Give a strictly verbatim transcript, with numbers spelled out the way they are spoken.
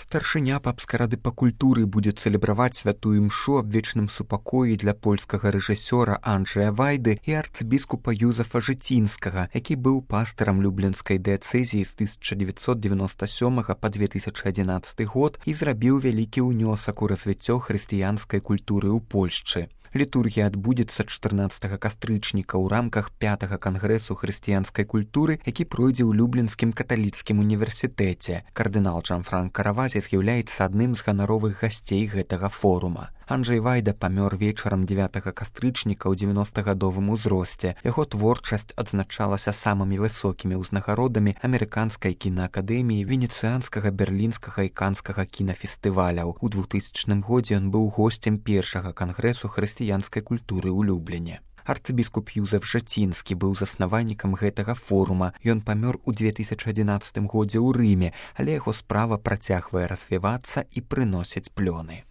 Старшыня папскай рады па культуры будзе цэлебраваць святую імшу аб вечным супакоі для польскага рэжысёра Анджэя Вайды і арцыбіскупа Юзафа Жыцінскага, які быў пастырам люблінскай дыяцэзіі з тысяча дзевяцьсот девяносто сёмага па две тысячы адзінаццаты год і зрабіў вялікі ўнёсак у развіццё хрысціянскай культуры ў Польшчы. Літургія адбудзецца чатырнаццатага кастрычніка ў рамках пятага кангрэсу хрысціянскай культуры, які пройдзе ў Люблінскім каталіцкім універсітэце. Кардынал Джанфранка Равазі з'яўляецца адным з ганаровых гасцей гэтага форума. Анджэй Вайда памёр вечарам дзевятага кастрычніка ў дзевяностагадовым узросце. Яго творчасць адзначалася самымі высокімі ўзнагародамі амерыканскай кінаакадэміі, венецыянскага, берлінскага і канскага кінафестываляў. У двухтысячным годзе ён быў госцем першага кангрэсу хрысціянскай культуры ў Любліне. Арцыбіскуп Юзаф Жыцінскі быў заснавальнікам гэтага форума. Ён памёр у две тысячы адзінаццатым годзе ў Рыме, але яго справа працягвае развівацца і прыносіць плёны.